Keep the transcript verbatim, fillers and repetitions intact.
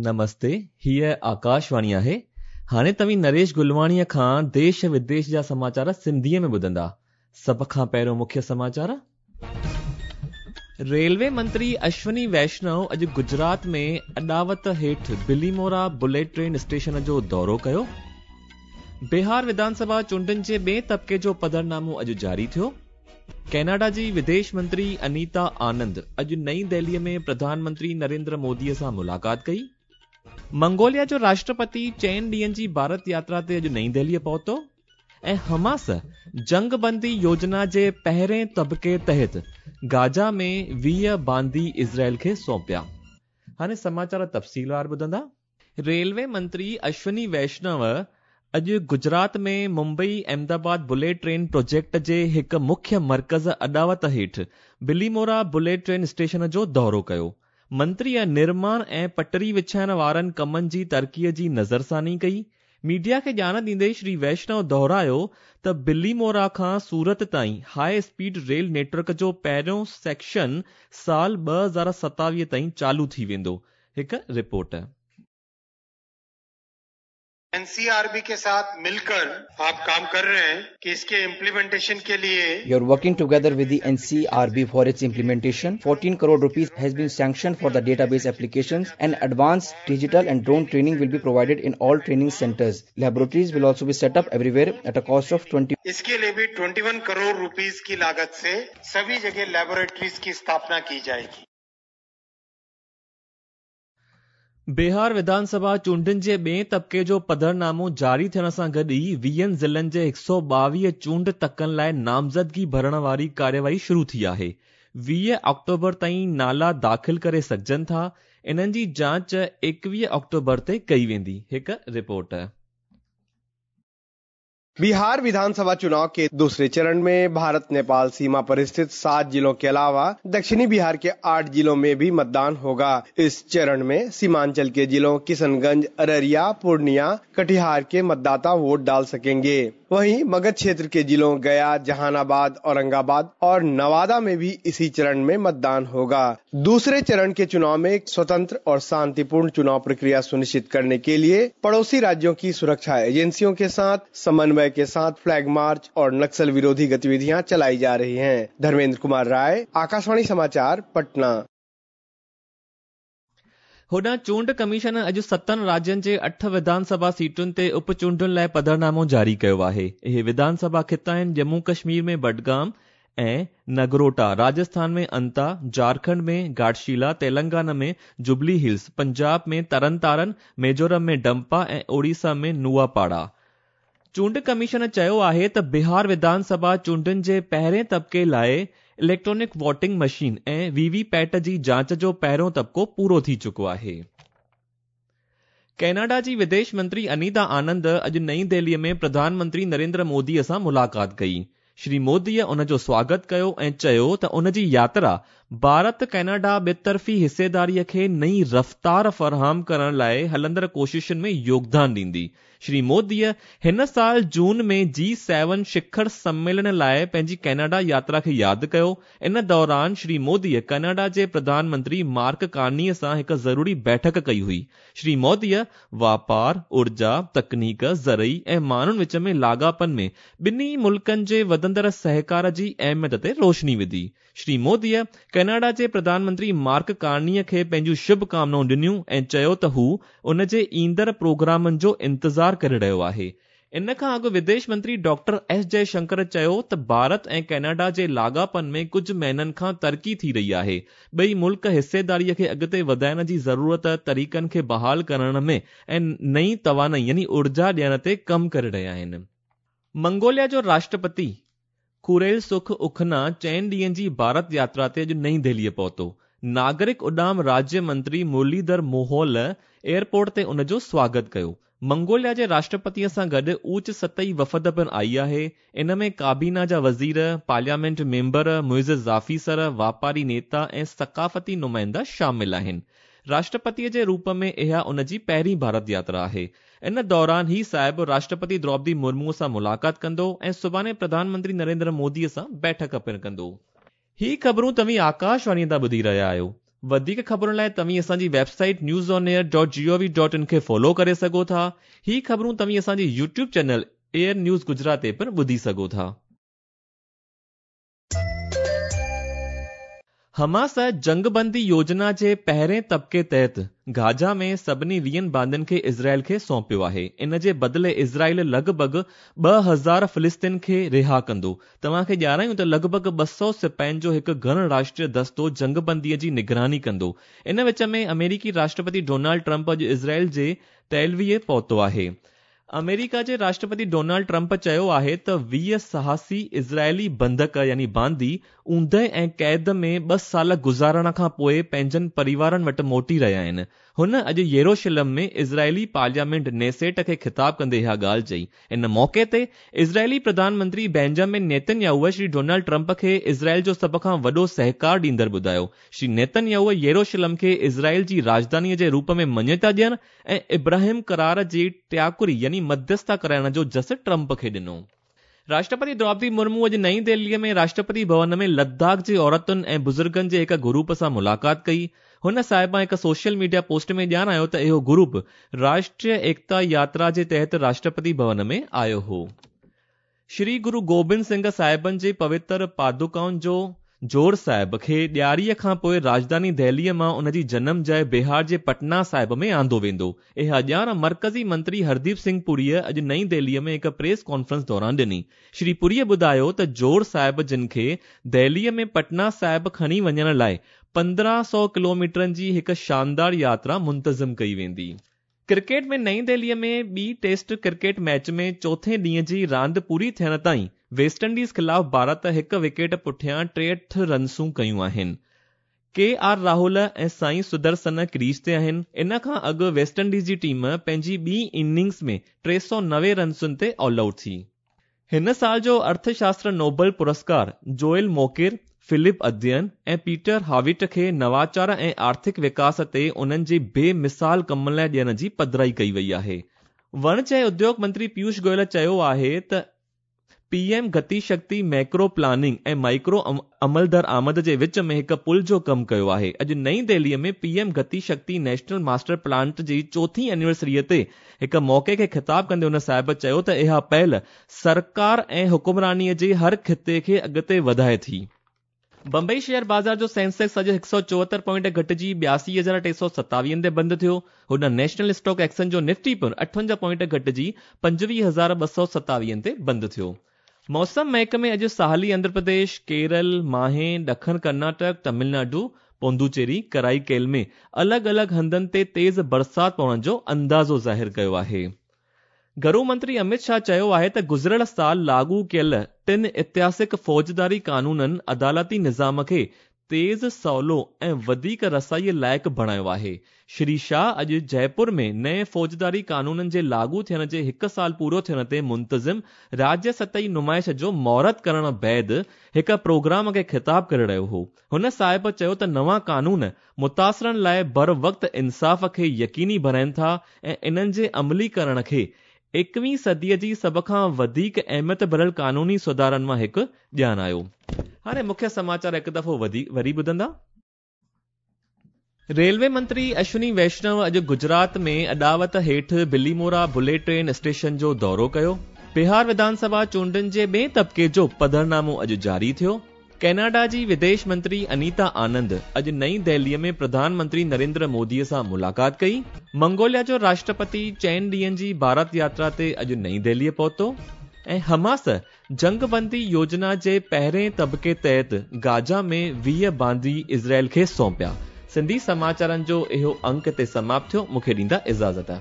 नमस्ते, हीअ आकाशवाणी आहे। हाणे तव्हीं नरेश गुलवाणीअ खां देश विदेश जा समाचार सिंधीअ में ॿुधंदा। सभ खां पहिरियों मुख्य समाचार। रेलवे मंत्री अश्विनी वैष्णव अॼु गुजरात में अॾावत हेठि बिलीमोरा बुलेट ट्रेन स्टेशन जो दौरो कयो। बिहार विधानसभा चूंडनि जे ॿिए तबिके जो पधरनामो अॼु जारी थियो। कैनेडा जी विदेश मंत्री अनीता आनंद अॼु नई दिल्लीअ में प्रधानमंत्री नरेंद्र मोदीअ सां मुलाक़ात कई। मंगोलिया जो राष्ट्रपति चइनि ॾींहनि जी भारत यात्रा ते अॼु नई दिल्लीअ पहुतो। ऐं हमास जंगबंदी योजना जे पहिरें तबिके तहत गाजा में वीह बांदी इज़राइल खे सौंपिया। हाणे समाचार तफ़सीलवार ॿुधंदा। रेलवे मंत्री अश्विनी वैष्णव अॼु गुजरात में Mumbai Ahmedabad bullet train project जे हिकु मुख्य मर्कज़ अॾावत हेठि बिलीमोरा बुलेट ट्रेन स्टेशन जो दौरो कयो। मंत्रीअ निर्माण ऐं पटरी विछाइण वारनि कमनि जी तरक़ीअ जी नज़रसानी कई। मीडिया खे ॼाण ॾींदे श्री वैष्णव दोहरायो त बिलीमोरा खां सूरत ताईं हाई स्पीड रेल नेटवर्क जो पहिरियों सेक्शन साल ॿ हज़ार सतावीह ताईं चालू थी वेंदो। हिकु रिपोर्ट। एनसीआरबी के साथ मिलकर आप काम कर रहे हैं कि इसके इम्प्लीमेंटेशन के लिए You are working together with the N C R B for its implementation. fourteen crore rupees has been sanctioned for the database applications and advanced digital and drone training will be provided in all training centers. Laboratories will also be set up everywhere at a cost of twenty. इसके लिए भी इक्कीस crore rupees की लागत से सभी जगह laboratories की स्थापना की जाएगी। बिहार विधानसभा चूंडनि जे ॿिए तबिके जो पधरनामो जारी थियण सां गॾु ई वीहनि ज़िलनि जे हिकु सौ ॿावीह चूंड तकनि लाइ नामज़दगी भरण वारी कार्यवाही शुरू थी आहे। वीह अक्टूबर ताईं नाला दाख़िल करे सघजनि था। इन्हनि जी जांच एकवीह अक्टूबर ते कई वेंदी। हिकु रिपोर्ट। बिहार विधानसभा चुनाव के दूसरे चरण में भारत नेपाल सीमा पर स्थित सात जिलों के अलावा दक्षिणी बिहार के आठ जिलों में भी मतदान होगा। इस चरण में सीमांचल के जिलों किशनगंज, अररिया, पूर्णिया, कटिहार के मतदाता वोट डाल सकेंगे। वहीं मगध क्षेत्र के जिलों गया, जहानाबाद, औरंगाबाद और नवादा में भी इसी चरण में मतदान होगा। दूसरे चरण के चुनाव में स्वतंत्र और शांतिपूर्ण चुनाव प्रक्रिया सुनिश्चित करने के लिए पड़ोसी राज्यों की सुरक्षा एजेंसियों के साथ समन्वय के साथ फ्लैग मार्च और नक्सल विरोधी गतिविधियां चलाई जा रही हैं। धर्मेंद्र कुमार राय, आकाशवाणी समाचार, पटना। होॾां चूंड कमीशन अॼु सतनि राज्यनि जे अठ विधानसभा सीटुनि ते उप चूंडुनि लाइ पधरनामो जारी कयो आहे। इहे विधानसभा ख़िता आहिनि जम्मू कश्मीर में बडगाम ऐं नगरोटा, राजस्थान में अंता, झारखंड में घाटशिला, तेलंगाना में जुबली हिल्स, पंजाब में तरन तारन, मिज़ोरम में डंपा ऐं ओडिशा में नुआपाड़ा। चूंड कमीशन चयो आहे त बिहार विधानसभा चूंडुनि जे पहिरें तबिके लाइ इलेक्ट्रॉनिक वोटिंग मशीन ऐं वीवीपैट जी जांच जो पहिरियों तबिको पूरो थी चुको आहे। कैनेडा जी विदेश मंत्री अनीता आनंद अॼु नई दिल्लीअ में प्रधानमंत्री नरेंद्र मोदीअ सां मुलाक़ात कई। श्री मोदीअ उन जो स्वागत कयो ऐं चयो त उन जी यात्रा भारत कैनेडा ॿितरफ़ी हिस्सेदारीअ खे नई रफ़्तार फराहम करण लाइ हलंदड़ कोशिशुनि में योगदान ॾींदी। श्री मोदीअ हिन साल जून में जी सेवन शिखर सम्मेलन लाइ पंहिंजी कैनेडा यात्रा खे यादि कयो। इन दौरान श्री मोदीअ कैनेडा जे प्रधानमंत्री मार्क कार्नीअ सां हिकु ज़रूरी बैठक कई हुई। श्री मोदीअ वापार, ऊर्जा, तकनीक, ज़रई ऐं माण्हुनि विच में लाॻापनि में ॿिन्ही मुल्कनि जे वधंदड़ सहकार जी अहमियत ते रोशनी विधी। श्री मोदीअ कैनेडा जे प्रधानमंत्री मार्क कार्नीअ खे पंहिंजूं शुभकामनाऊं ॾिनियूं ऐं चयो त हू उन जे ईंदड़ प्रोग्रामनि जो इंतज़ार करे रहियो आहे। इन खां अॻु विदेश मंत्री डॉक्टर एस जयशंकर चयो त भारत ऐं कैनेडा जे लाॻापनि में कुझु महीननि खां तरक़ी थी रही आहे। ॿई मुल्क हिस्सेदारीअ खे अॻिते वधाइण जी ज़रूरत, तरीक़नि खे बहाल करण में ऐं नई तवानाई यानी ऊर्जा ॾियण ते कमु करे रहिया आहिनि। मंगोलिया जो राष्ट्रपति खुरेल सुख उखना चइनि ॾींहनि जी भारत यात्रा ते अॼु नई दिल्लीअ पहुतो। नागरिक उॾाम राज्य मंत्री मुरलीधर मोहोल एयरपोर्ट ते उन जो स्वागत कयो। मंगोलिया जे राष्ट्रपतीअ सां गॾु ऊच सतही वफ़द पिणु आई आहे। इन में काबीना जा वज़ीर, पार्लियामेंट मेंबर, मुइज़ ऑफिसर, वापारी नेता ऐं सकाफ़ती नुमाइंदा शामिल आहिनि। राष्ट्रपतीअ जे रूप में इहा उन जी पहिरीं भारत यात्रा आहे। इन दौरान ही साहिब राष्ट्रपति द्रौपदी मुर्मू सां मुलाक़ात कंदो ऐं सुभाणे प्रधानमंत्री नरेंद्र मोदीअ सां बैठक पिणु कंदो। ही ख़बरूं तव्हीं आकाशवाणी तां ॿुधी रहिया आहियो। वधीक ख़बरुनि लाइ तव्हीं असांजी website news on air dot G O V dot in खे फॉलो करे सघो था। ही ख़बरूं तव्हीं असांजी YouTube channel AIR news Gujarat ते पिणु ॿुधी सघो था। हमास जंगबंदी योजना जे पहिरें तबके तहत गाजा में सभिनी वीहनि बांदियुनि खे इज़राइल खे सौंपियो आहे। इन जे बदिले इज़राइल लॻभॻि ॿ हज़ार फ़िलिस्तीन खे रिहा कंदो। तव्हांखे ॼाणायूं त लॻभॻि ॿ सौ सिपाहियुनि जो हिकु घण राष्ट्रीय दस्तो जंगबंदीअ जी निगरानी कंदो। इन विच में अमेरिकी राष्ट्रपति डोनाल्ड ट्रंप अॼु इज़राइल जे तेलवीअ पहुतो आहे। अमेरिका जे राष्ट्रपति डोनाल्ड ट्रंप चयो आहे त वीह साहसी इज़राइली बंधक यानी बांदी ऊंदह ऐं क़ैद में ॿ साल गुज़ारण खां पोइ पंहिंजनि परिवारनि वटि मोटी रहिया आहिनि। हुन अॼु येरोशलम में इज़राइली पार्लियामेंट नेसेट खे ख़िताब कंदे इहा ॻाल्हि चई। इन मौक़े ते इज़राइली प्रधानमंत्री Benjamin Netanyahu Shri Donald Trump खे इज़राइल जो सभ खां वॾो सहकार ॾींदड़ ॿुधायो। श्री नेतन्याहू येरोशलम खे इज़राइल जी राजधानीअ जे रूप में मान्यता ॾियण ऐं इब्राहिम करार जी टियाकुरी यानी मध्यस्था कराइण जो जस ट्रंप खे ॾिनो। राष्ट्रपति द्रौपदी मुर्मू अॼु नई दिल्लीअ में राष्ट्रपति भवन में लद्दाख जे औरतुनि ऐं बुज़ुर्गनि जे हिकु ग्रुप सां मुलाक़ात कई। हुन साहिबा हिकु सोशल मीडिया पोस्ट में ॼाणायो त इहो ग्रुप राष्ट्रीय एकता यात्रा जे तहत राष्ट्रपति भवन में आयो हो। श्री गुरु गोबिंद सिंह साहिबनि जे पवित्र पादुकाउनि जो जोर साहिब खे ॾियारीअ खां पोइ राजधानी दिल्लीअ मां उन जी जनम जाइ बिहार जे पटना साहिब में आंदो वेंदो। इहा ॼाण मर्कज़ी मंत्री हरदीप सिंह पुरीअ अॼु नई दिल्लीअ में हिकु प्रेस कॉन्फ्रेंस दौरान ॾिनी। श्री पुरीअ ॿुधायो त जोर साहिब जिन खे दिल्लीअ में पटना साहिब खणी वञण लाइ पंद्रहं सौ किलोमीटरनि जी हिकु शानदार यात्रा मुंतज़िम कई वेंदी। क्रिकेट में नई दिल्लीअ में ॿी टेस्ट क्रिकेट मैच में चोथे ॾींहं जी रांदि पूरी थियण ताईं वेस्ट इंडीज़ ख़िलाफ़ भारत हिकु विकेट पुठियां टेहठि रनसूं कयूं आहिनि। के आर राहुल ऐं साई सुदर्शन क्रीज ते आहिनि। इन खां अॻु वेस्ट इंडीज़ जी टीम पंहिंजी ॿी इनिंग्स में टे सौ नवे रनसुनि ते ऑल आउट थी। हिन साल जो अर्थशास्त्र नोबल पुरस्कार जोएल मोकिर, फिलिप अध्ययन ऐं पीटर हाविट खे नवाचार ऐं आर्थिक विकास ते उन्हनि जे बेमिसाल कम लाइ ॾियण जी पधराई कई वई आहे। वणज ऐं उद्योग मंत्री पीयूष गोयल चयो आहे त पीएम गति शक्ति मैक्रो प्लानिंग ऐं माइक्रो अमल दरामद जे विच में हिकु पुल जो कमु कयो आहे। अॼु नई दिल्लीअ में PM Gati Shakti national master plant जी चोथी एनिवर्सरीअ ते हिकु मौक़े खे ख़िताब कंदे हुन साहिब चयो त इहा पहल सरकार ऐं हुकुमरानीअ जे हर ख़िते खे अॻिते वधाए थी। बंबई शेयर बाज़ार जो सेंसेक्स अॼु हिकु सौ चोहतरि पॉइंट घटिजी ॿियासी हज़ार टे सौ सतावीहनि ते बंदि थियो। हुन नेशनल स्टॉक एक्सचेंज जो निफ्टी पिणु अठवंजाह पॉइंट घटिजी पंजवीह हज़ार ॿ सौ सतावीहनि ते बंदि थियो। मौसम महकमे अॼु साहली आंध्र प्रदेश, केरल, माहे, ॾखण कर्नाटक, तमिलनाडु, पोंडुचेरी, कराईकेल में अलॻि अलॻि हंधनि ते तेज़ बरसाति पवण जो अंदाज़ो ज़ाहिर कयो आहे। घरू मंत्री अमित शाह चयो आहे त गुज़िरियल साल लागू कयल टिनि ऐतिहासिक फौजदारी कानूननि अदालती निज़ाम खे तेज़, सवलो ऐं वधीक रसाईअ लाइक़ बणायो आहे। श्री शाह अॼु जयपुर में नए फौजदारी कानूननि जे लागू थियण जे हिकु साल पूरो थियण ते मुंतज़िम राज्य सतही नुमाइश जो मुहूर्त करण बाद हिकु प्रोग्राम खे ख़िताब करे रहियो हो। हुन साहिब चयो त नवां कानून मुतासिरनि लाइ बर वक़्त इंसाफ़ खे यकीनी बणाइनि था ऐं इन्हनि जे अमलीकरण खे एकवीं सदीअ जी सभ खां वधीक अहमियत भरियल कानूनी सुधारनि मां हिकु ॼाणायो। हाणे मुख्य समाचार हिकु दफ़ो वरी ॿुधंदा। रेलवे मंत्री अश्विनी वैष्णव अॼु गुजरात में अॾावत हेठि बिलीमोरा बुलेट ट्रेन स्टेशन जो दौरो कयो। बिहार विधानसभा चूंडनि जे ॿिए तबके जो पधरनामो अॼु जारी थियो। कैनेडा जी विदेश मंत्री अनीता आनंद अॼु नई दिल्लीअ में प्रधानमंत्री नरेंद्र मोदीअ सां मुलाक़ात कई। मंगोलिया जो राष्ट्रपति चइनि ॾींहनि जी भारत यात्रा ते अॼु नई दिल्लीअ पहुतो। ऐं हमास जंगबंदी योजना जे पहिरें तबके तहत गाजा में वीह बांदी इज़राइल खे सौंपिया। सिंधी समाचारनि जो इहो अंक ते समाप्त थियो। मूंखे ॾींदा इजाज़त।